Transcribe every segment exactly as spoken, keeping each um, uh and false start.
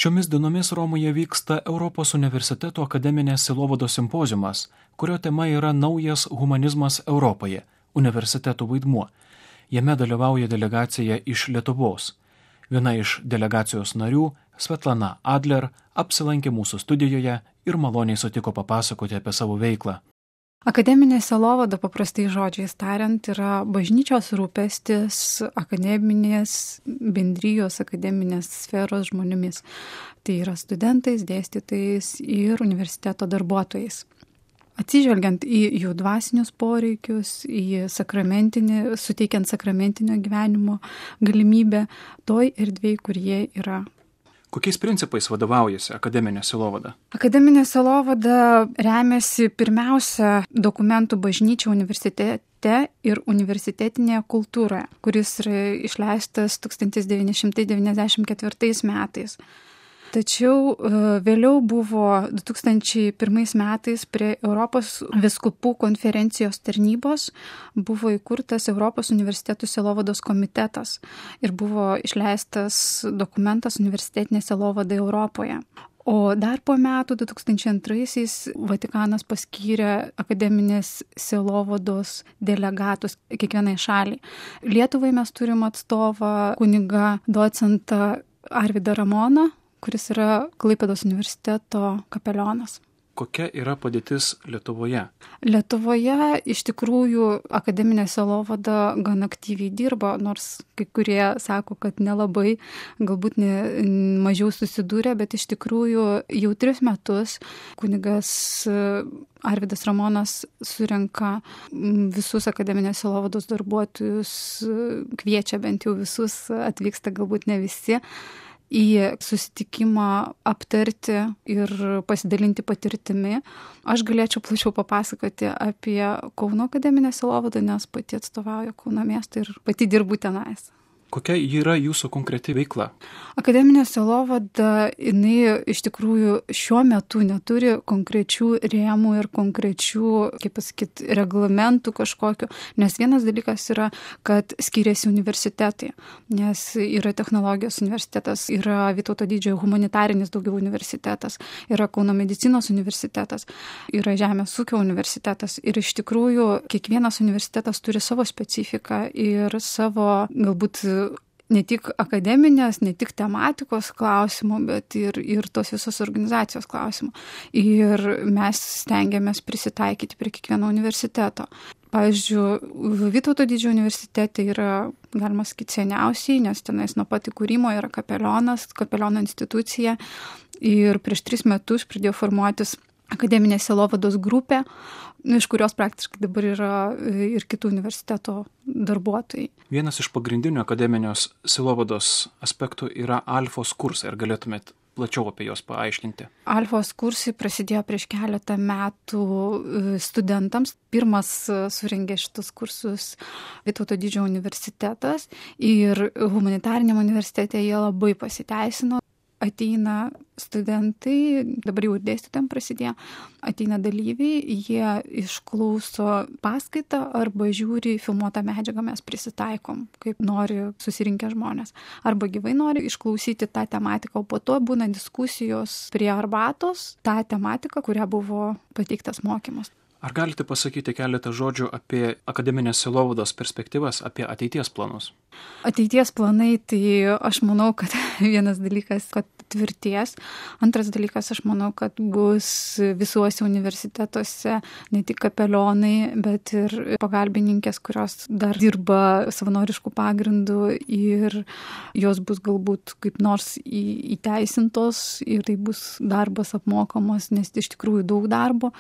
Šiomis dienomis Romoje vyksta Europos universiteto akademinės sielovados simpoziumas, kurio tema yra naujas humanizmas Europoje – universitetų vaidmuo. Jame dalyvauja delegacija iš Lietuvos. Viena iš delegacijos narių, Svetlana Adler, apsilankė mūsų studijoje ir maloniai sutiko papasakoti apie savo veiklą. Akademinė sielovada, paprastai žodžiais tariant, yra bažnyčios rūpestis akademinės bendrijos, akademinės sferos žmonėmis. Tai yra studentais, dėstytojais ir universiteto darbuotojais. Atsižvelgiant į jų dvasinius poreikius, į sakramentinį, suteikiant sakramentinio gyvenimo galimybę toj erdvėj, kur jie yra. Kokiais principais vadovaujasi akademinė sielovada? Akademinė sielovada remiasi pirmiausia dokumentų bažnyčia universitete ir universitetinėje kultūroje, kuris yra išleistas tūkstantis devyni šimtai devyniasdešimt ketvirtais metais. Tačiau vėliau buvo du tūkstančiai pirmais metais prie Europos vyskupų konferencijos tarnybos buvo įkurtas Europos universitetų sielovados komitetas ir buvo išleistas dokumentas universitetinė sielovada Europoje. O dar po metų, du tūkstančiai antraisiais, Vatikanas paskyrė akademinės sielovados delegatus kiekvienai šaliai. Lietuvai mes turim atstovą kunigą docentą Arvydą Ramoną, kuris yra Klaipėdos universiteto kapelionas. Kokia yra padėtis Lietuvoje? Lietuvoje iš tikrųjų akademinė sielovada gan aktyviai dirba, nors kai kurie sako, kad nelabai, galbūt ne, mažiau susidūrė, bet iš tikrųjų jau tris metus kunigas Arvydas Ramonas surenka visus akademinės sielovados darbuotojus, kviečia bent jau visus, atvyksta galbūt ne visi, į susitikimą aptarti ir pasidalinti patirtimi. Aš galėčiau plačiau papasakoti apie Kauno akademinę sielovadą, nes pati atstovauju Kauno miestą ir pati dirbu tenais. Kokia yra jūsų konkreti veikla? Akademinė sielovada, jinai iš tikrųjų šiuo metu neturi konkrečių rėmų ir konkrečių, kaip pasakyti, reglamentų kažkokiu, nes vienas dalykas yra, kad skiriasi universitetai, nes yra technologijos universitetas, yra Vytauto Didžiojo humanitarinis daugiau universitetas, yra Kauno medicinos universitetas, yra Žemės ūkio universitetas ir iš tikrųjų kiekvienas universitetas turi savo specifiką ir savo galbūt ne tik akademinės, ne tik tematikos klausimų, bet ir, ir tos visos organizacijos klausimų. Ir mes stengiamės prisitaikyti prie kiekvieno universiteto. Pavyzdžiui, Vytauto Didžiojo universitete yra, galima sakyti, seniausiai, nes tenais nuo pat įkūrimo yra kapelionas, kapeliono institucija. Ir prieš tris metus pradėjo formuotis akademinės sielovados grupė, iš kurios praktiškai dabar yra ir kitų universiteto darbuotojai. Vienas iš pagrindinių akademinės sielovados aspektų yra alfos kursai. Ar galėtumėt plačiau apie juos paaiškinti? Alfos kursai prasidėjo prieš keletą metų studentams. Pirmas surengė šitus kursus Vytauto Didžiojo universitetas ir humanitariniam universitete jie labai pasiteisino. Ateina studentai, dabar jau ir dėstytojam prasidėjo, ateina dalyviai, jie išklauso paskaitą arba žiūri filmuotą medžiagą, mes prisitaikom, kaip nori susirinkę žmonės. Arba gyvai nori išklausyti tą tematiką, o po to būna diskusijos prie arbatos, tą tematiką, kurią buvo pateiktas mokymas. Ar galite pasakyti keletą žodžių apie akademinės sielovados perspektyvas, apie ateities planus? Ateities planai, tai aš manau, kad vienas dalykas, kad tvirties. Antras dalykas, aš manau, kad bus visuose universitetuose ne tik kapelionai, bet ir pagalbininkės, kurios dar dirba savanoriškų pagrindų ir jos bus galbūt kaip nors įteisintos ir tai bus darbas apmokamas, nes iš tikrųjų daug darbo.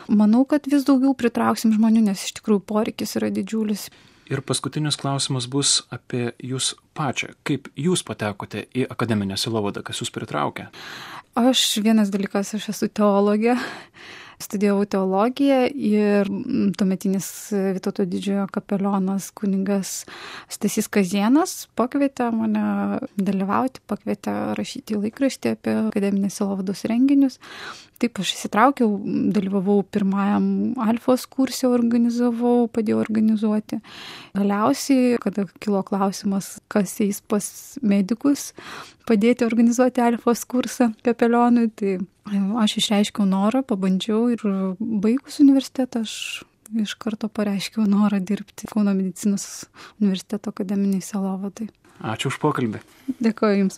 Manau, kad vis daugiau pritrauksim žmonių, nes iš tikrųjų poreikis yra didžiulis. Ir paskutinis klausimas bus apie jūs pačią. Kaip jūs patekote į akademinę sielovadą, kas jūs pritraukė? Aš vienas dalykas, aš esu teologė studijavau teologiją ir tuometinis Vytauto didžiojo kapelionas kunigas Stasys Kazėnas pakvietė mane dalyvauti, pakvietė rašyti laikraštį apie akademinės sielovados renginius. Taip aš įsitraukiau, dalyvavau pirmajam Alfos kurse, organizavau, padėjau organizuoti. Galiausiai, kada kilo klausimas, kas eis pas medikus padėti organizuoti Alfos kursą kapelionui, tai aš išreiškiau norą, pabandžiau ir baigus universitetą aš iš karto pareiškiau norą dirbti Kauno medicinos universiteto akademiniai sielovadai. Ačiū už pokalbį. Dėkoju Jums.